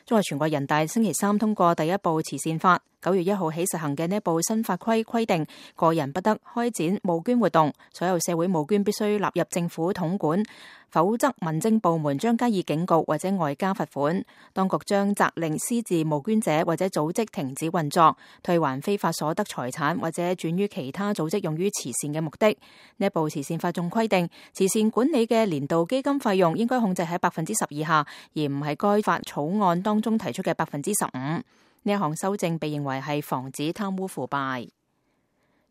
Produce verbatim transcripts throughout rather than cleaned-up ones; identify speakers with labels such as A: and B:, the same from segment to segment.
A: 中國全國人大星期三通過第一部慈善法，九月一號起實行嘅呢一部新法規規定，個人不得開展募捐活動，所有社會募捐必須納入政府統管，否則民政部門將加以警告或者外加罰款。當局將責令私自募捐者或者組織停止運作，退還非法所得財產或者轉於其他組織用於慈善嘅目的。呢一部慈善法仲規定，慈善管理嘅年度基金費用應該控制喺百分之十以下，而唔係該法草案當中提出嘅百分之十五。呢一項修正被認為係防止貪污腐敗。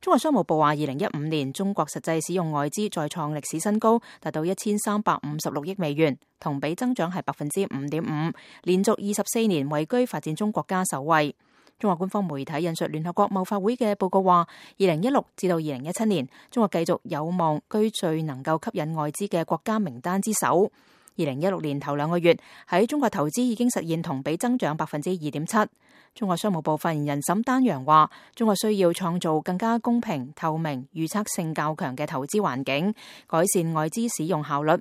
A: 中國商務部話，二零一五年中國實際使用外資再創歷史新高，達到一千三百五十六億美元，同比增長係百分之五點五，連續二十四年位居發展中國家首位。中國官方媒體引述聯合國貿發會嘅報告話，二零一六至到二零一七年，中國繼續有望居最能夠吸引外資嘅國家名單之首。二零一六年頭兩個月喺中國投資已經實現同比增長百分之二點七。中國商務部發言人沈丹陽話，中國需要創造更加公平、透明、預測性較強嘅投資環境，改善外資使用效率。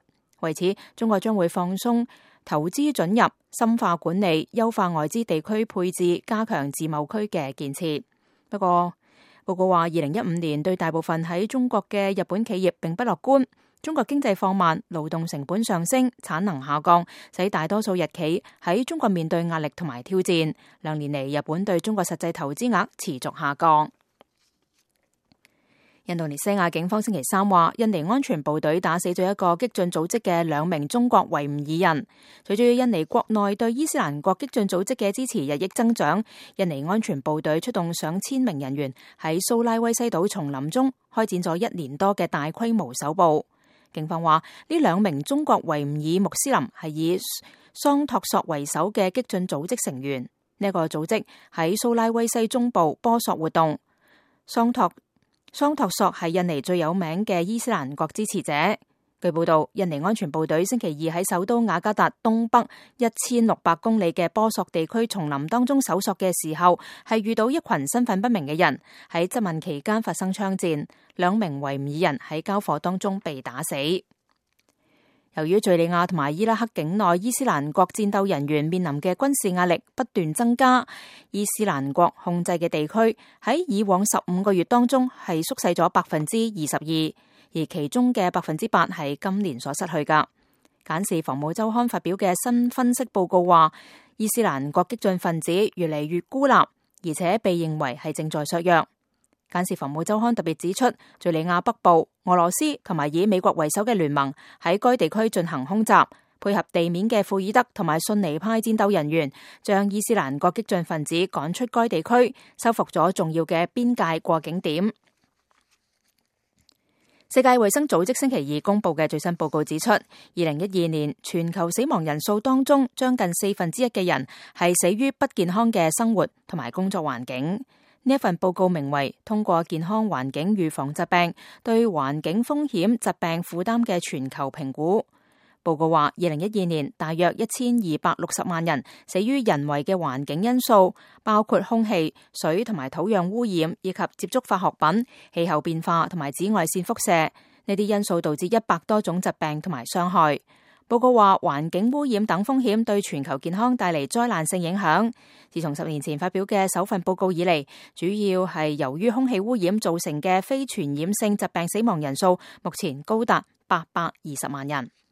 A: 為此，中國將會放鬆投資准入，深化管理，優化外資地區配置，加強自貿區嘅建設。不過，報告話，二零一五年對大部分喺中國嘅日本企業並不樂觀。中國經濟放慢，勞動成本上升，產能下降，使大多數日企喺中國面對壓力同埋挑戰。兩年嚟，日本對中國實際投資額持續下降。印度尼西亞警方星期三話，印尼安全部隊打死咗一個激進組織嘅兩名中國維吾爾人。隨住印尼國內對伊斯蘭國激進組織嘅支持日益增長，印尼安全部隊出動上千名人員喺蘇拉威西島叢林中開展咗一年多嘅大規模搜捕。警方話，呢兩名中國維吾爾穆斯林係以桑托索為首嘅激進組織成員。呢、這個組織喺蘇拉威西中部波索活動。桑托桑托索係印尼最有名嘅伊斯蘭國支持者。據報道，印尼安全部隊星期二喺首都雅加達東北一千六百公里嘅波索地區叢林當中搜索嘅時候，係遇到一群身份不明嘅人，喺質問期間發生槍戰，兩名維吾爾人喺交火當中被打死。由於敘利亞同埋伊拉克境內伊斯蘭國戰鬥人員面臨嘅軍事壓力不斷增加，伊斯蘭國控制嘅地區喺以往十五個月當中係縮細咗百分之二十二。而其中嘅百分之八係今年所失去噶。簡士防務週刊發表嘅新分析報告話，伊斯蘭國激進分子越嚟越孤立，而且被認為係正在削弱。簡士防務週刊特別指出，敘利亞北部、俄羅斯同埋以美國為首嘅聯盟喺該地區進行空襲，配合地面嘅庫爾德同埋遜尼派戰鬥人員，將伊斯蘭國激進分子趕出該地區，收復咗重要嘅邊界過境點。世界衛生組織星期二公布嘅最新報告指出，二零一二年全球死亡人數當中，將近四分之一嘅人係死於不健康嘅生活同埋工作環境。呢一份報告名為《通過健康環境預防疾病對環境風險疾病負擔嘅全球評估》。報告話，二零一二年大約一千二百六十萬人死於人為嘅環境因素，包括空氣、水同埋土壤污染，以及接觸化學品、氣候變化同埋紫外線輻射。呢啲因素導致一百多種疾病同埋傷害。報告話，環境污染等風險對全球健康帶嚟災難性影響。自從十年前發表嘅首份報告以嚟，主要係由於空氣污染造成嘅非傳染性疾病死亡人數，目前高達八百二十萬人。